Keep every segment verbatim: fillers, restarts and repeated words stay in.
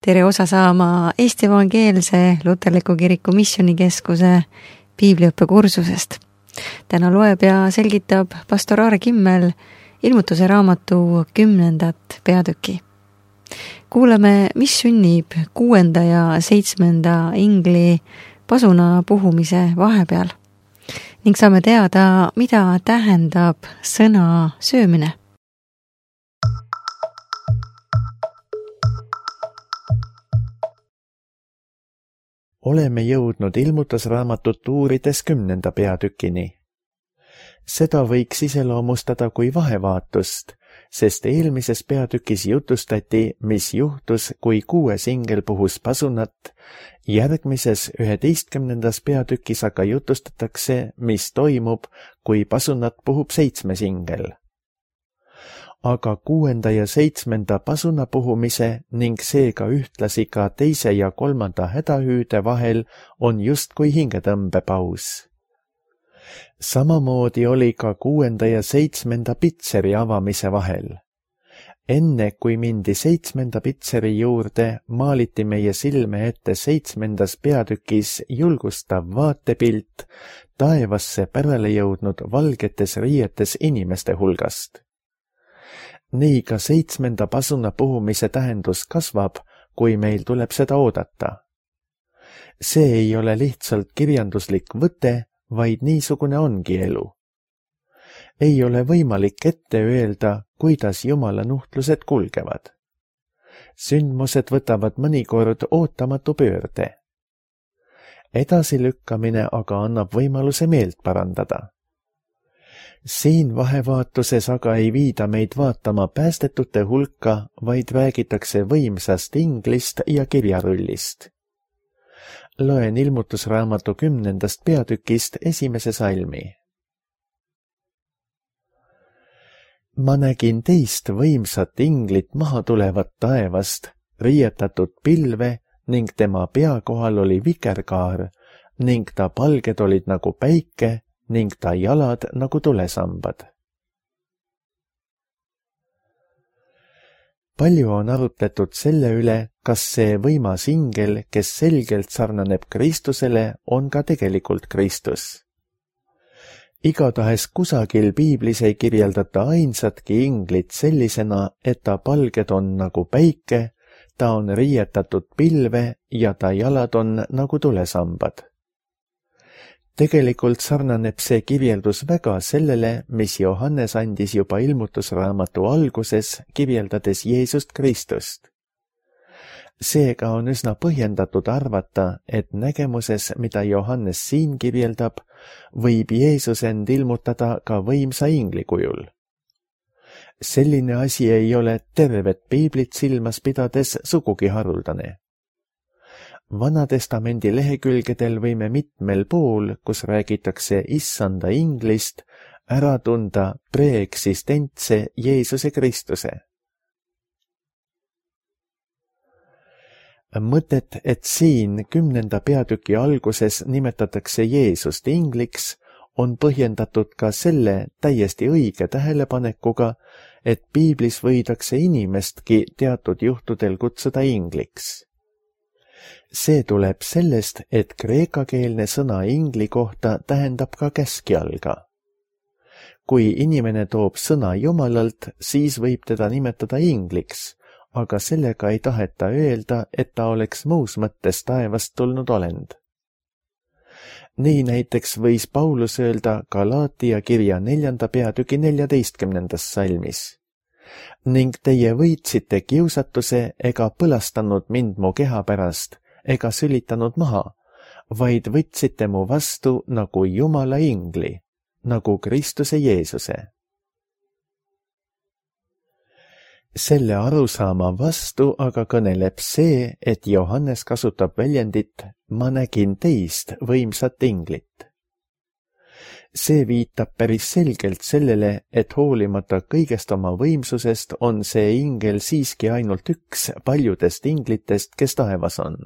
tere osa saama Eesti Evangeelse Luterliku Kiriku Missioonikeskuse piibliõppekursusest. Täna loeb ja selgitab pastor Aare Kimmel ilmutuse raamatu kümnendat peatüki. Kuuleme, mis sünnib kuuenda ja seitsmenda ingli pasuna puhumise vahepeal ning saame teada, mida tähendab sõna söömine. Oleme jõudnud ilmutusraamatut uurides kümnenda peatükini. Seda võiks iseloomustada kui vahevaatust, sest eelmises peatükis jutustati, mis juhtus, kui kuues ingel puhus pasunat, järgmises üheteistkümnendas peatükis aga jutustatakse, mis toimub, kui pasunat puhub seitsmes ingel. Aga kuuenda ja seitsmenda pasuna puhumise ning seega ühtlasi ka teise ja kolmanda hädahüüde vahel on justkui hingetõmbepaus. Samamoodi oli ka kuuenda ja seitsmenda pitseri avamise vahel. Enne kui mindi seitsmenda pitseri juurde, maaliti meie silme ette seitsmendas peatükis julgustav vaatepilt taevasse pärale jõudnud valgetes riietes inimeste hulgast. Nii ka seitsmenda pasuna puhumise tähendus kasvab, kui meil tuleb seda oodata. See ei ole lihtsalt kirjanduslik võte, vaid niisugune ongi elu. Ei ole võimalik ette öelda, kuidas Jumala nuhtlused kulgevad. Sündmused võtavad mõnikord ootamatu pöörde. Edasilükkamine aga annab võimaluse meelt parandada. Siin vahevaatuses aga ei viida meid vaatama päästetute hulka, vaid räägitakse võimsast inglist ja kirjarullist. Loen ilmutusraamatu kümnendast peatükist esimese salmi. Ma nägin teist võimsat inglit maha tulevat taevast, riietatud pilve ning tema pea kohal oli vikerkaar ning ta palged olid nagu päike ning ta jalad nagu tulesambad. Palju on arutletud selle üle, kas see võimas ingel, kes selgelt sarnaneb Kristusele, on ka tegelikult Kristus. Igatahes kusagil piiblis ei kirjeldata ainsatki inglit sellisena, et ta palged on nagu päike, ta on riietatud pilve ja ta jalad on nagu tulesambad. Tegelikult sarnaneb see kirjeldus väga sellele, mis Johannes andis juba ilmutusraamatu alguses, kirjeldades Jeesust Kristust. Seega on üsna põhjendatud arvata, et nägemuses, mida Johannes siin kirjeldab, võib Jeesus end ilmutada ka võimsa ingli kujul. Selline asi ei ole tervet piiblit silmas pidades sugugi haruldane. Vanatestamendi lehekülgedel võime mitmel pool, kus räägitakse issanda inglist, ära tunda preeksistentse Jeesuse Kristuse. Mõtet, et siin kümnenda peatüki alguses nimetatakse Jeesust ingliks, on põhjendatud ka selle täiesti õige tähelepanekuga, et piiblis võidakse inimestki teatud juhtudel kutsuda ingliks. See tuleb sellest, et kreekakeelne sõna ingli kohta tähendab ka käskjalga. Kui inimene toob sõna Jumalalt, siis võib teda nimetada ingliks, aga sellega ei taheta öelda, et ta oleks muus mõttes taevast tulnud olend. Nii näiteks võis Paulus öelda Galaatia kirja neljanda peatüki neljateistkümnendas salmis. Ning teie võitsite kiusatuse ega põlastanud mind mu keha pärast, ega sülitanud maha, vaid võtsite mu vastu nagu Jumala ingli, nagu Kristuse Jeesuse. Selle arusaama vastu aga kõneleb see, et Johannes kasutab väljendit ma nägin teist võimsat inglit. See viitab päris selgelt sellele, et hoolimata kõigest oma võimsusest on see ingel siiski ainult üks paljudest inglitest, kes taevas on.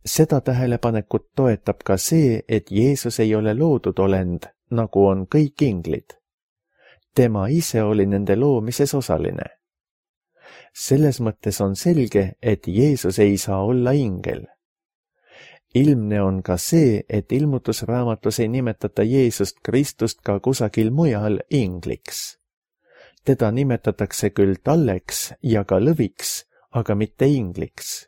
Seda tähelepanekut toetab ka see, et Jeesus ei ole loodud olend, nagu on kõik inglid. Tema ise oli nende loomises osaline. selles mõttes on selge, et Jeesus ei saa olla ingel. Ilmne on ka see, et ilmutusraamatus ei nimetata Jeesust Kristust ka kusagil mujal ingliks. Teda nimetatakse küll talleks ja ka lõviks, aga mitte ingliks.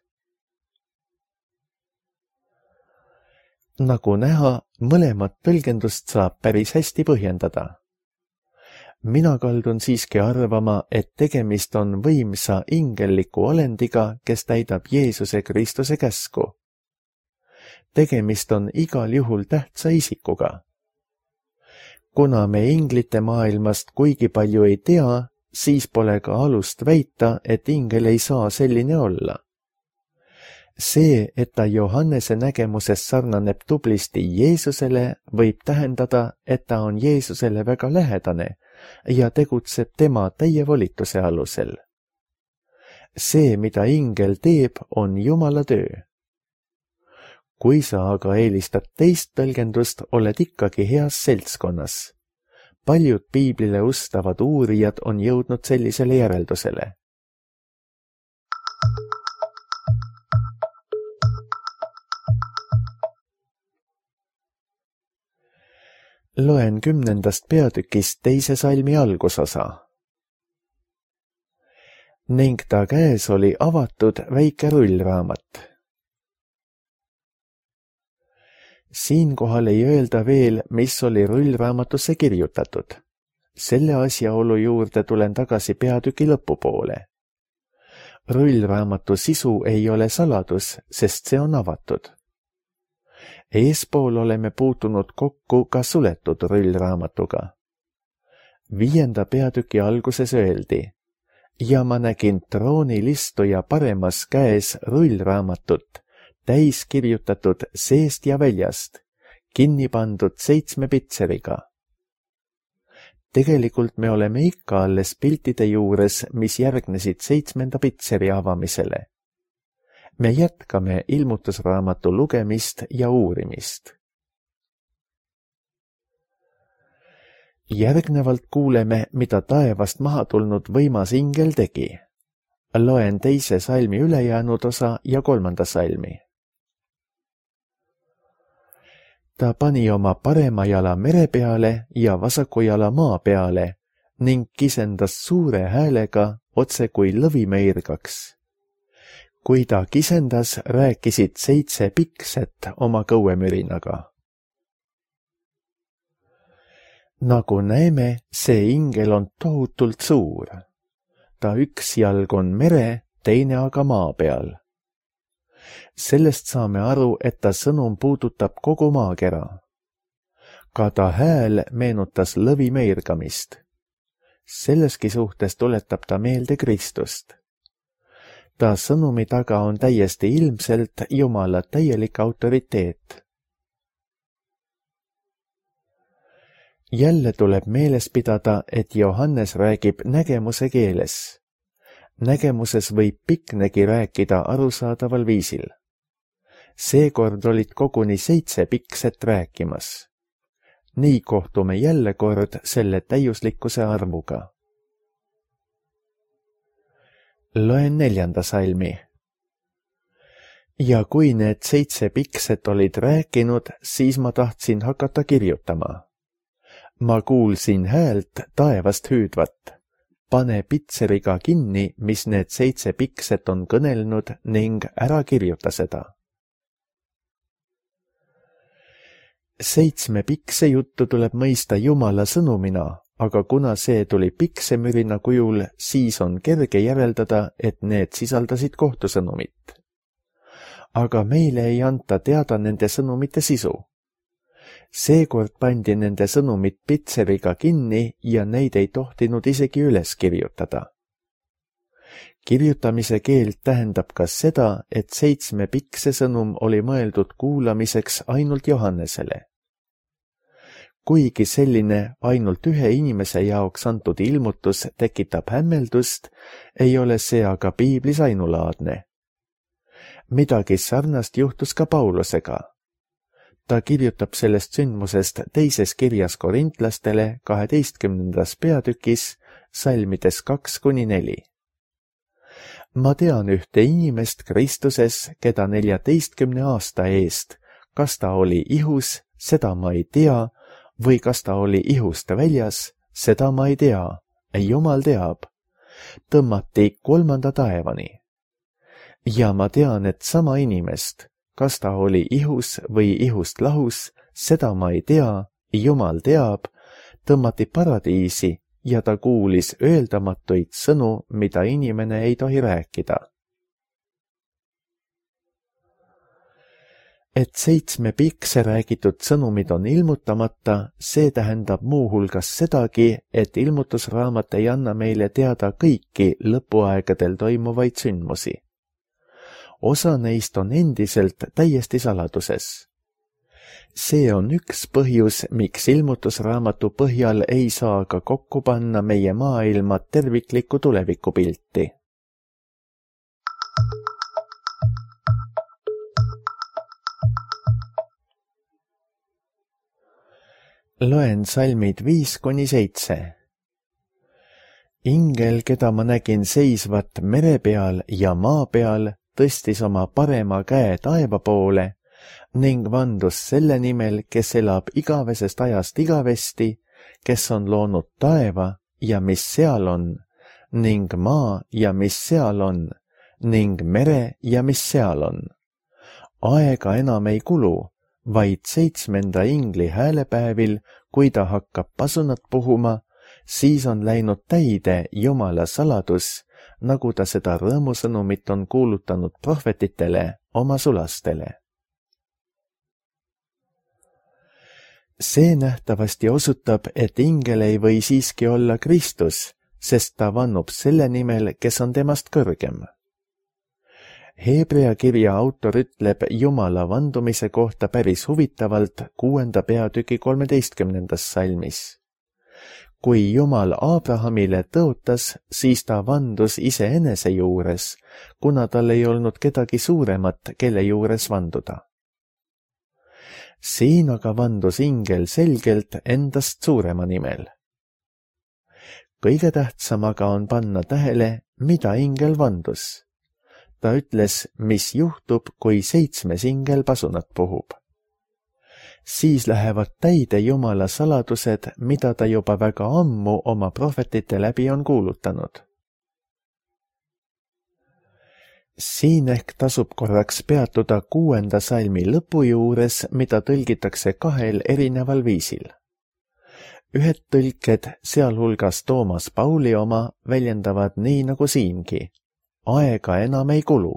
Nagu näha, mõlemat tõlgendust saab päris hästi põhjendada. Mina kaldun siiski arvama, et tegemist on võimsa ingelliku olendiga, kes täidab Jeesuse Kristuse käsku. Tegemist on igal juhul tähtsa isikuga. Kuna me inglite maailmast kuigi palju ei tea, siis pole ka alust väita, et ingel ei saa selline olla. See, et ta Johannese nägemuses sarnaneb tublisti Jeesusele, võib tähendada, et ta on Jeesusele väga lähedane ja tegutseb tema täie volituse alusel. See, mida ingel teeb, on Jumala töö. Kui sa aga eelistad teist tõlgendust, oled ikkagi heas seltskonnas. Paljud piiblile ustavad uurijad on jõudnud sellisele järeldusele. Loen kümnendast peatükist teise salmi algusosa. Ning ta käes oli avatud väike rullraamat. Siinkohal ei öelda veel, mis oli rullraamatusse kirjutatud. Selle asjaolu juurde tulen tagasi peatüki lõpupoole. Rullraamatu sisu ei ole saladus, sest see on avatud. Eespool oleme puutunud kokku ka suletud rullraamatuga. Viienda peatüki alguses öeldi, ja ma nägin troonilistuja paremas käes rullraamatut, täis kirjutatud seest ja väljast, kinni pandud seitsme pitseriga. Tegelikult me oleme ikka alles piltide juures, mis järgnesid seitsmenda pitseri avamisele. Me jätkame ilmutusraamatu lugemist ja uurimist. Järgnevalt kuuleme, mida taevast maha tulnud võimas ingel tegi. Loen teise salmi ülejäänud osa ja kolmanda salmi. Ta pani oma parema jala mere peale ja vasaku jala maa peale ning kisendas suure häälega otse kui lõvimeirgaks. Kui ta kisendas, rääkisid seitse pikset oma kõuemürinaga. Nagu näeme, see ingel on tohutult suur. Ta üks jalg on mere, teine aga maa peal. Sellest saame aru, et ta sõnum puudutab kogu maakera. Ka ta hääl meenutas lõvimeirgamist. Selleski suhtes tuletab ta meelde Kristust. Ta sõnumi taga on täiesti ilmselt Jumala täielik autoriteet. Jälle tuleb meeles pidada, et Johannes räägib nägemuse keeles. Nägemuses võib piknegi rääkida arusaadaval viisil. Seekord olid koguni seitse pikset rääkimas. Nii kohtume jälle kord selle täiuslikkuse arvuga. Loen neljanda salmi. Ja kui need seitse pikset olid rääkinud, siis ma tahtsin hakata kirjutama. Ma kuulsin häält taevast hüüdvat. Pane pitseriga kinni, mis need seitse pikset on kõnelnud ning ära kirjuta seda. Seitsme pikse juttu tuleb mõista Jumala sõnumina, aga kuna see tuli piksemürina kujul, siis on kerge järeldada, et need sisaldasid kohtusõnumit. Aga meile ei anta teada nende sõnumite sisu. Seekord pandi nende sõnumit pitseriga kinni ja neid ei tohtinud isegi üles kirjutada. Kirjutamise keeld tähendab ka seda, et seitsme pikse sõnum oli mõeldud kuulamiseks ainult Johannesele. Kuigi selline ainult ühe inimese jaoks antud ilmutus tekitab hämmeldust, ei ole see aga piiblis ainulaadne. Midagi sarnast juhtus ka Paulusega. Ta kirjutab sellest sündmusest teises kirjas korintlastele kaheteistkümnendas peatükis, salmides kaks kuni neli. ma tean ühte inimest Kristuses, keda neljateistkümne aasta eest, kas ta oli ihus, seda ma ei tea, või kas ta oli ihust väljas, seda ma ei tea, Jumal teab, tõmmati kolmanda taevani. Ja ma tean, et sama inimest, kas ta oli ihus või ihust lahus, seda ma ei tea, Jumal teab, tõmmati paradiisi ja ta kuulis öeldamatuid sõnu, mida inimene ei tohi rääkida. Et seitsme pikse räägitud sõnumid on ilmutamata, see tähendab muuhulgas sedagi, et ilmutusraamat ei anna meile teada kõiki lõpuaegadel toimuvaid sündmusi. Osa neist on endiselt täiesti saladuses. See on üks põhjus, miks ilmutusraamatu põhjal ei saa ka kokku panna meie maailma terviklikku tulevikupilti. Loen salmid viis kuni seitse. Ingel, keda ma nägin seisvat mere peal ja maa peal, tõstis oma parema käe taeva poole ning vandus selle nimel, kes elab igavesest ajast igavesti, kes on loonud taeva ja mis seal on, ning maa ja mis seal on, ning mere ja mis seal on. Aega enam ei kulu, vaid seitsmenda ingli häälepäevil, kui ta hakkab pasunat puhuma, siis on läinud täide Jumala saladus, nagu ta seda rõõmusõnumit on kuulutanud prohvetitele, oma sulastele. See nähtavasti osutab, et ingel ei või siiski olla Kristus, sest ta vannub selle nimel, kes on temast kõrgem. Hebrea kirja autor ütleb Jumala vandumise kohta päris huvitavalt kuuenda peatüki kolmeteistkümnendas salmis. Kui Jumal Abrahamile tõotas, siis ta vandus iseenese juures, kuna tal ei olnud kedagi suuremat, kelle juures vanduda. Siin aga vandus ingel selgelt endast suurema nimel. Kõige tähtsam aga on panna tähele, mida ingel vandus. Ta ütles, mis juhtub, kui seitsmes ingel pasunat puhub. Siis lähevad täide Jumala saladused, mida ta juba väga ammu oma prohvetite läbi on kuulutanud. Siin ehk tasub korraks peatuda kuuenda salmi lõpu juures, mida tõlgitakse kahel erineval viisil. Ühed tõlked, sealhulgas Toomas Pauli oma, väljendavad nii nagu siingi. Aega enam ei kulu.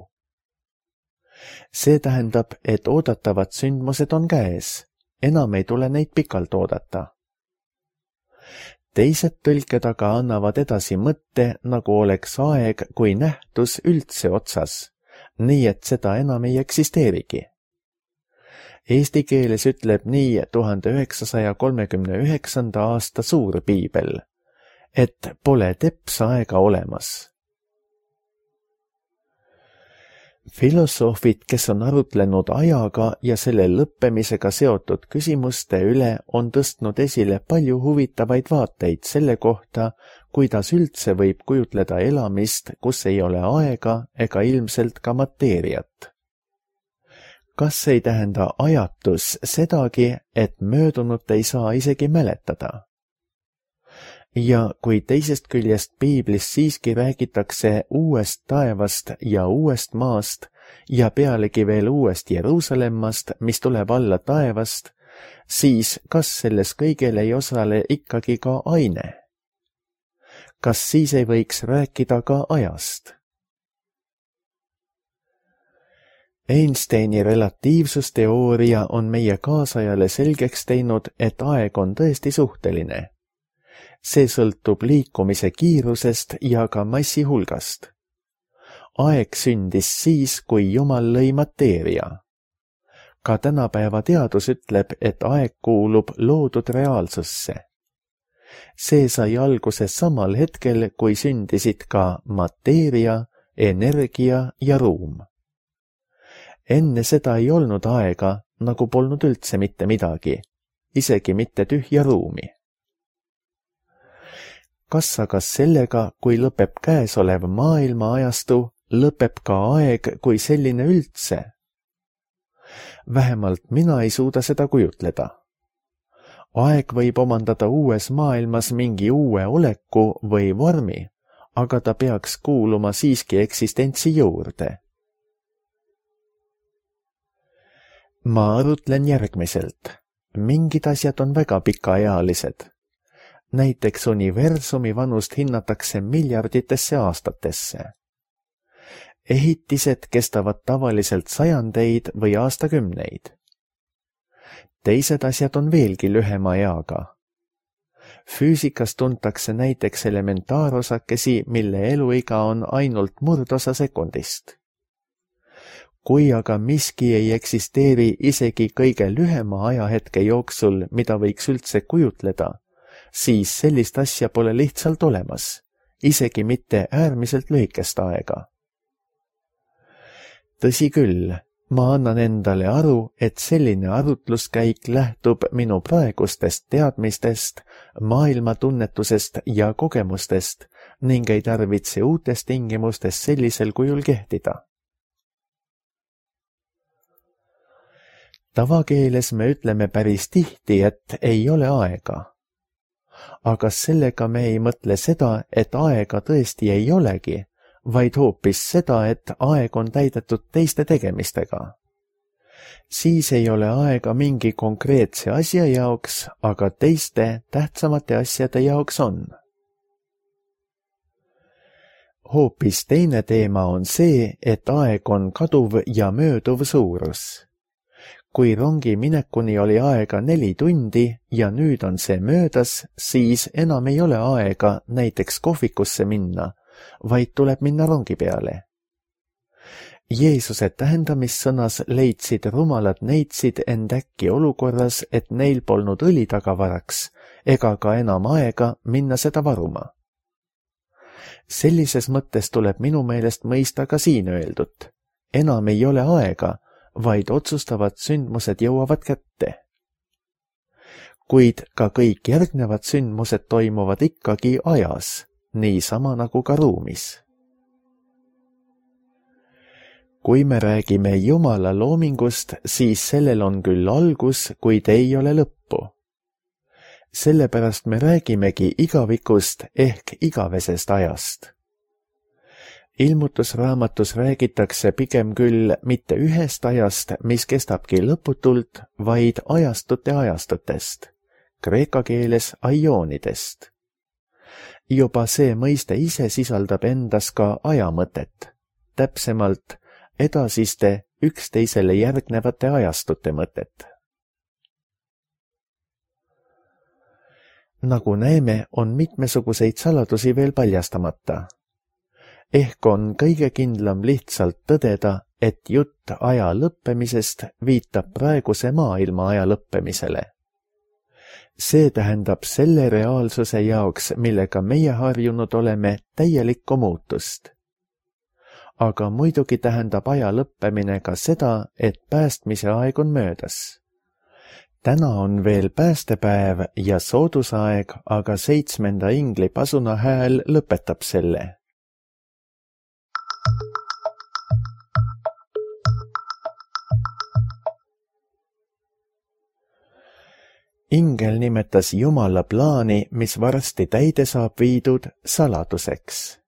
See tähendab, et oodatavad sündmused on käes, enam ei tule neid pikalt oodata. Teised tõlked aga annavad edasi mõtte, nagu oleks aeg kui nähtus üldse otsas, nii et seda enam ei eksisteerigi. Eesti keeles ütleb nii tuhande üheksasaja kolmekümne üheksanda aasta suur piibel, et pole teps aega olemas. Filosoofid, kes on arutlenud ajaga ja selle lõppemisega seotud küsimuste üle, on tõstnud esile palju huvitavaid vaateid selle kohta, kuidas üldse võib kujutleda elamist, kus ei ole aega ega ilmselt ka mateeriat. Kas ei tähenda ajatus sedagi, et möödunut ei saa isegi mäletada? Ja kui teisest küljest piiblis siiski räägitakse uuest taevast ja uuest maast ja pealegi veel uuest Jeruusalemmast, mis tuleb alla taevast, siis kas selles kõigel ei osale ikkagi ka aine? Kas siis ei võiks rääkida ka ajast? Einsteini relatiivsusteooria on meie kaasajale selgeks teinud, et aeg on tõesti suhteline. See sõltub liikumise kiirusest ja ka massi hulgast. Aeg sündis siis, kui Jumal lõi mateeria. Ka tänapäeva teadus ütleb, et aeg kuulub loodud reaalsusse. See sai alguse samal hetkel, kui sündisid ka mateeria, energia ja ruum. Enne seda ei olnud aega, nagu polnud üldse mitte midagi, isegi mitte tühja ruumi. Kas aga sellega, kui lõpeb käesolev maailma ajastu, lõpeb ka aeg kui selline üldse. Vähemalt mina ei suuda seda kujutleda. Aeg võib omandada uues maailmas mingi uue oleku või vormi, aga ta peaks kuuluma siiski eksistentsi juurde. Ma arutlen järgmiselt. Mingid asjad on väga pikaealised. Näiteks universumi vanust hinnatakse miljarditesse aastatesse. Ehitised kestavad tavaliselt sajandeid või aastakümneid. Teised asjad on veelgi lühema eaga. Füüsikas tuntakse näiteks elementaarosakesi, mille eluiga on ainult murdosa sekundist. Kui aga miski ei eksisteeri isegi kõige lühema ajahetke jooksul, mida võiks üldse kujutleda, siis sellist asja pole lihtsalt olemas, isegi mitte äärmiselt lühikest aega. Tõsi küll, ma annan endale aru, et selline arutluskäik lähtub minu praegustest teadmistest, maailmatunnetusest ja kogemustest ning ei tarvitse uutes tingimustes sellisel kujul kehtida. Tavakeeles me ütleme päris tihti, et ei ole aega. Aga sellega me ei mõtle seda, et aega tõesti ei olegi, vaid hoopis seda, et aeg on täidetud teiste tegemistega. Siis ei ole aega mingi konkreetse asja jaoks, aga teiste tähtsamate asjade jaoks on. Hoopis teine teema on see, et aeg on kaduv ja mööduv suurus. Kui rongi minekuni oli aega neli tundi ja nüüd on see möödas, siis enam ei ole aega näiteks kohvikusse minna, vaid tuleb minna rongi peale. Jeesuse tähendamissõnas leidsid rumalad neitsid end äkki olukorras, et neil polnud õli tagavaraks ega ka enam aega minna seda varuma. Sellises mõttes tuleb minu meelest mõista ka siin öeldut. Enam ei ole aega, vaid otsustavad sündmused jõuavad kätte. Kuid ka kõik järgnevad sündmused toimuvad ikkagi ajas, niisama nagu ka ruumis. Kui me räägime Jumala loomingust, siis sellel on küll algus, kuid ei ole lõppu. Sellepärast me räägimegi igavikust ehk igavesest ajast. Ilmutusraamatus räägitakse pigem küll mitte ühest ajast, mis kestabki lõputult, vaid ajastute ajastutest, kreeka keeles aioonidest. Juba see mõiste ise sisaldab endas ka ajamõtet, täpsemalt edasiste üksteisele järgnevate ajastute mõtet. Nagu näeme, on mitmesuguseid saladusi veel paljastamata. Ehk on kõige kindlam lihtsalt tõdeda, et jutt aja lõppemisest viitab praeguse maailma aja lõppemisele. See tähendab selle reaalsuse jaoks, millega meie harjunud oleme, täielikku muutust. Aga muidugi tähendab aja lõppemine ka seda, et päästmise aeg on möödas. Täna on veel päästepäev ja soodusaeg, aga seitsmenda ingli pasuna hääl lõpetab selle. Ingel nimetas Jumala plaani, mis varsti täide saab viidud, saladuseks.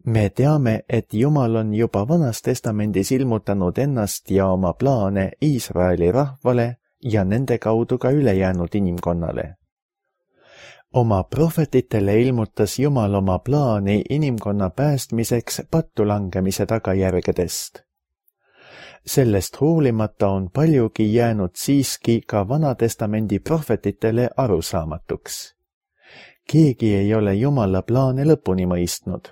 Me teame, et Jumal on juba Vanas Testamendis ilmutanud ennast ja oma plaane Iisraeli rahvale ja nende kaudu ka ülejäänud inimkonnale. Oma prohvetitele ilmutas Jumal oma plaani inimkonna päästmiseks pattulangemise tagajärgedest. Sellest hoolimata on paljugi jäänud siiski ka Vanatestamendi prohvetitele arusaamatuks. Keegi ei ole Jumala plaane lõpuni mõistnud.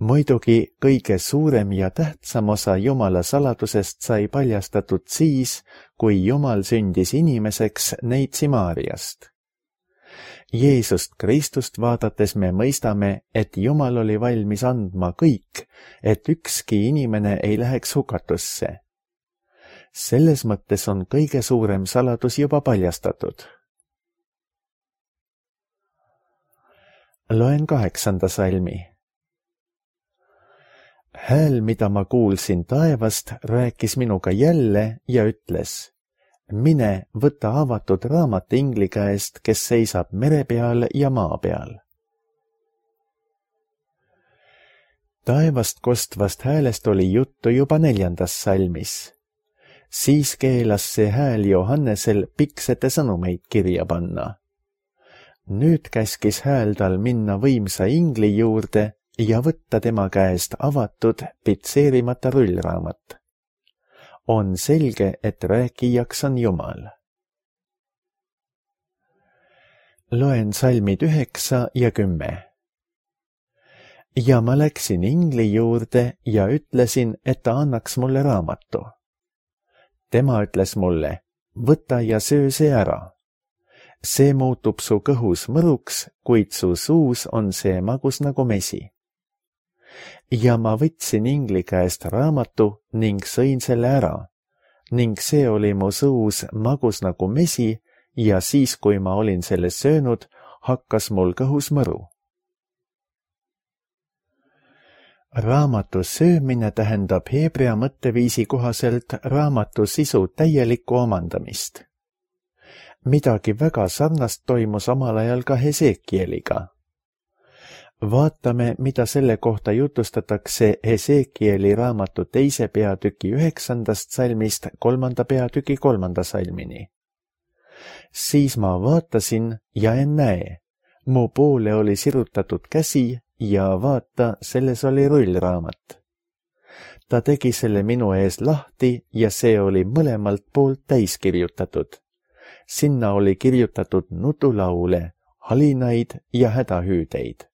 Muidugi kõige suurem ja tähtsam osa Jumala saladusest sai paljastatud siis, kui Jumal sündis inimeseks neitsi Maariast. Jeesust Kristust vaadates me mõistame, et Jumal oli valmis andma kõik, et ükski inimene ei läheks hukatusse. Selles mõttes on kõige suurem saladus juba paljastatud. Loen kaheksanda salmi. Hääl, mida ma kuulsin taevast, rääkis minuga jälle ja ütles: mine, võta avatud raamat ingli käest, kes seisab mere peal ja maa peal. Taevast kostvast häälest oli juttu juba neljandas salmis. Siis keelas see hääl Johannesel piksete sõnumeid kirja panna. Nüüd käskis hääl tal minna võimsa ingli juurde ja võtta tema käest avatud, pitseerimata rullraamat. On selge, et rääkijaks on Jumal. Loen salmid üheksa ja kümme. Ja ma läksin ingli juurde ja ütlesin, et ta annaks mulle raamatu. Tema ütles mulle: võta ja söö see ära. See muutub su kõhus mõruks, kuid su suus on see magus nagu mesi. Ja ma võtsin ingli käest raamatu ning sõin selle ära, ning see oli mu suus magus nagu mesi ja siis, kui ma olin selle söönud, hakkas mul kõhus mõru. Raamatu söömine tähendab heebrea mõtteviisi kohaselt raamatu sisu täielikku omandamist. Midagi väga sarnast toimus omal ajal ka Hesekieliga. Vaatame, mida selle kohta jutustatakse Hesekieli raamatu teise peatüki üheksandast salmist kolmanda peatüki kolmanda salmini. Siis ma vaatasin ja en näe, mu poole oli sirutatud käsi ja vaata, selles oli rullraamat. Ta tegi selle minu ees lahti ja see oli mõlemalt poolt täis kirjutatud. Sinna oli kirjutatud nutulaule, halinaid ja hädahüüdeid.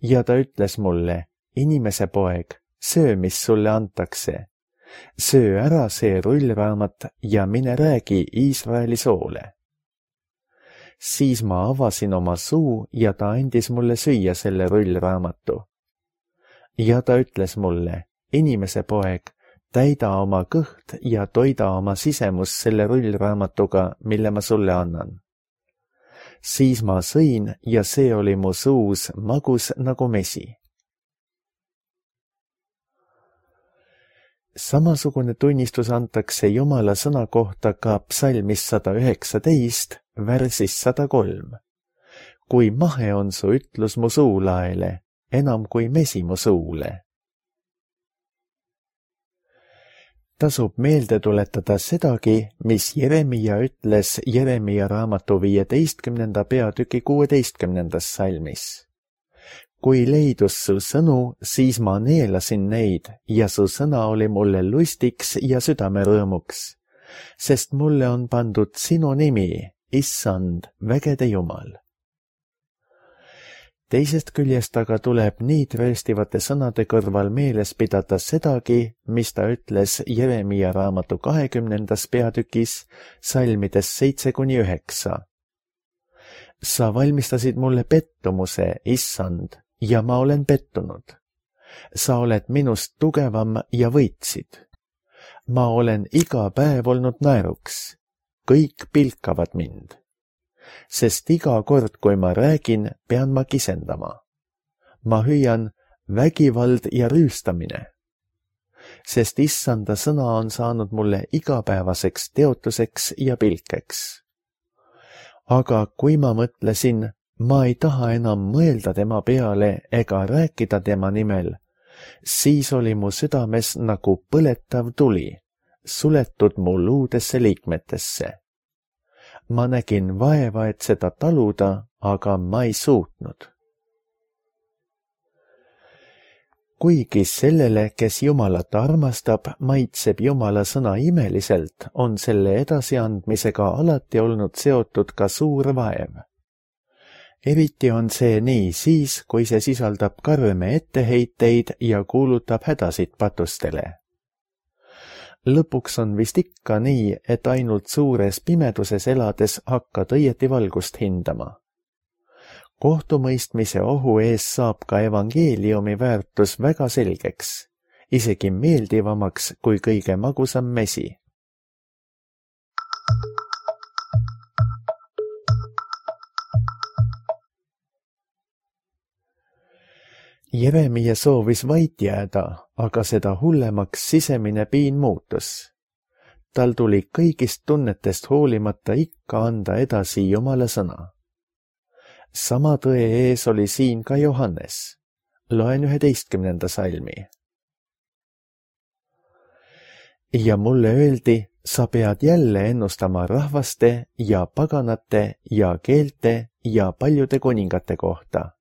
Ja ta ütles mulle: inimese poeg, söö, mis sulle antakse. Söö ära see rullraamat ja mine räägi Iisraeli soole. Siis ma avasin oma suu ja ta andis mulle süüa selle rullraamatu. Ja ta ütles mulle: inimese poeg, täida oma kõht ja toida oma sisemus selle rullraamatuga, mille ma sulle annan. Siis ma sõin ja see oli mu suus magus nagu mesi. Samasugune tunnistus antakse Jumala sõna kohta ka psalmis sada üheksateist, värsis sada kolm. Kui mahe on su ütlus mu suulaele, enam kui mesi mu suule. Tasub meelde tuletada sedagi, mis Jeremia ütles Jeremia raamatu viieteistkümnenda peatüki kuueteistkümnendas salmis. Kui leidus su sõnu, siis ma neelasin neid ja su sõna oli mulle lustiks ja südamerõõmuks, sest mulle on pandud sinu nimi, Issand, vägede Jumal. Teisest küljest aga tuleb nii trööstivate sõnade kõrval meeles pidada sedagi, mis ta ütles Jeremia raamatu kahekümnendas peatükis, salmides seitse kuni üheksa. Sa valmistasid mulle pettumuse, Issand, ja ma olen pettunud. Sa oled minust tugevam ja võitsid. Ma olen iga päev olnud naeruks. Kõik pilkavad mind. Sest iga kord, kui ma räägin, pean ma kisendama. Ma hüüan vägivald ja rüüstamine. Sest Issanda sõna on saanud mulle igapäevaseks teotuseks ja pilkeks. Aga kui ma mõtlesin, ma ei taha enam mõelda tema peale ega rääkida tema nimel, siis oli mu südames nagu põletav tuli, suletud mu luudesse liikmetesse. Ma nägin vaeva, et seda taluda, aga ma ei suutnud. Kuigi sellele, kes Jumalat armastab, maitseb Jumala sõna imeliselt, on selle edasiandmisega alati olnud seotud ka suur vaev. Eriti on see nii siis, kui see sisaldab karme etteheiteid ja kuulutab hädasid patustele. Lõpuks on vist ikka nii, et ainult suures pimeduses elades hakkad õieti valgust hindama. Kohtumõistmise ohu ees saab ka evangeeliumi väärtus väga selgeks, isegi meeldivamaks kui kõige magusam mesi. Jeremia soovis vait jääda, aga seda hullemaks sisemine piin muutus. Tal tuli kõigist tunnetest hoolimata ikka anda edasi Jumala sõna. Sama tõe ees oli siin ka Johannes. Loen üheteistkümnenda salmi. Ja mulle öeldi, sa pead jälle ennustama rahvaste ja paganate ja keelte ja paljude kuningate kohta.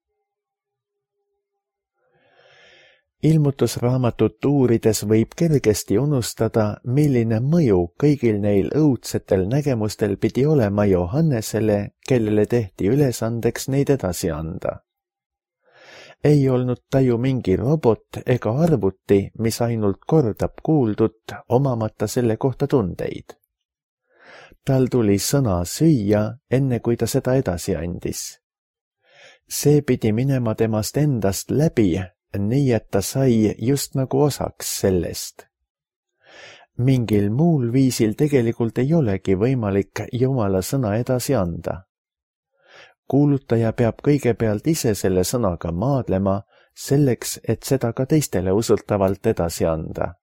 Ilmutusraamatut uurides võib kergesti unustada, milline mõju kõigil neil õudsetel nägemustel pidi olema Johannesele, kellele tehti ülesandeks neid edasi anda. Ei olnud ta ju mingi robot ega arvuti, mis ainult kordab kuuldut, omamata selle kohta tundeid. Tal tuli sõna süüa, enne kui ta seda edasi andis. See pidi minema temast endast läbi, nii et ta sai just nagu osaks sellest. Mingil muul viisil tegelikult ei olegi võimalik Jumala sõna edasi anda. Kuulutaja peab kõigepealt ise selle sõnaga maadlema, selleks, et seda ka teistele usutavalt edasi anda.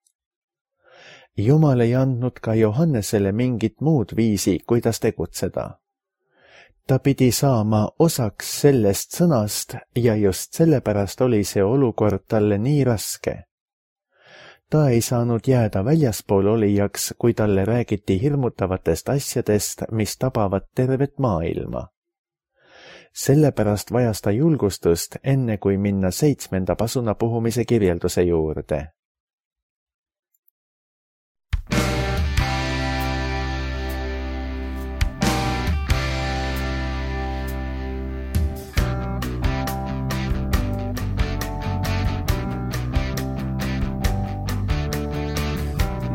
Jumal ei andnud ka Johannesele mingit muud viisi, kuidas tegutseda. Ta pidi saama osaks sellest sõnast ja just sellepärast oli see olukord talle nii raske. Ta ei saanud jääda väljaspool olijaks, kui talle räägiti hirmutavatest asjadest, mis tabavad tervet maailma. Sellepärast vajas ta julgustust, enne kui minna seitsmenda pasuna puhumise kirjelduse juurde.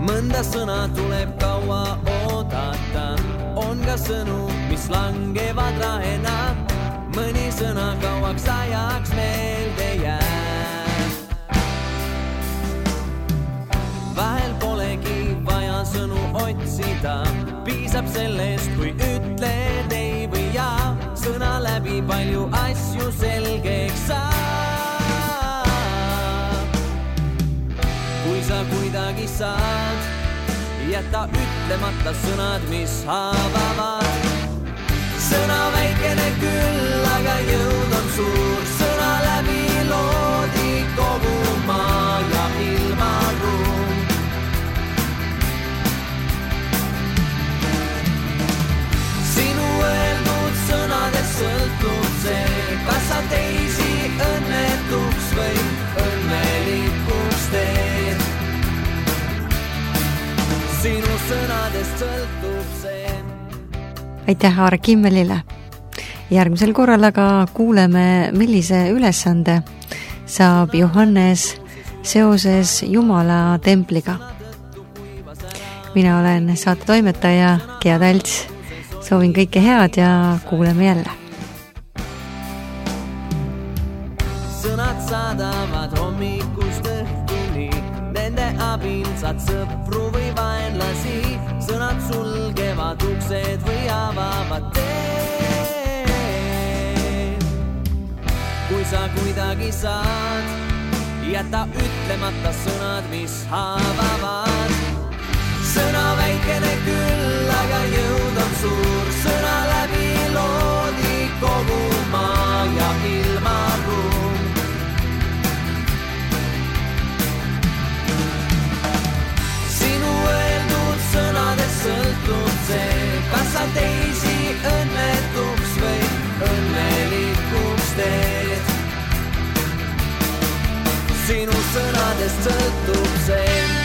Mõnda sõna tuleb kaua oodata, on ka sõnu, mis langevad rahena, mõni sõna kauaks ajaks meelde jääb. Vahel polegi vaja sõnu otsida, piisab sellest, kui ütled ei või jaa, sõna läbi palju asju selgeks saab. Kui sa kuidagi saad, jäta ütlemata sõnad, mis haavavad. Sõna väikene küll, aga jõud on suur, sõna läbi loodi kogu maa ja ilmaruum. Sinu öeldud sõnadest sõltub see, kas sa teisi õnnetuks või õnnelikuks teed. Sinu sõnadest sõltub see. Aitäh Aare Kimmelile. Järgmisel korral aga kuuleme, millise ülesande saab Johannes seoses Jumala templiga. Mina olen saate toimetaja Gea Talts. Soovin kõike head ja kuuleme jälle. Sõnad saadavad hommikust õhtuni, nende abil saad sõpru või vaenlasi, sõnad sulgevad uksed või avavad teed. Kui sa kuidagi saad, jäta ütlemata sõnad, mis haavavad. Sõna väikene küll, aga jõud on suur, sõna läbi loodi kogu maa ja ilmaruum. Sinu öeldud sõnadest sõltub see, kas sa teisi õnnetuks või õnnelikuks teed. Sinu sõnadest sõltub see.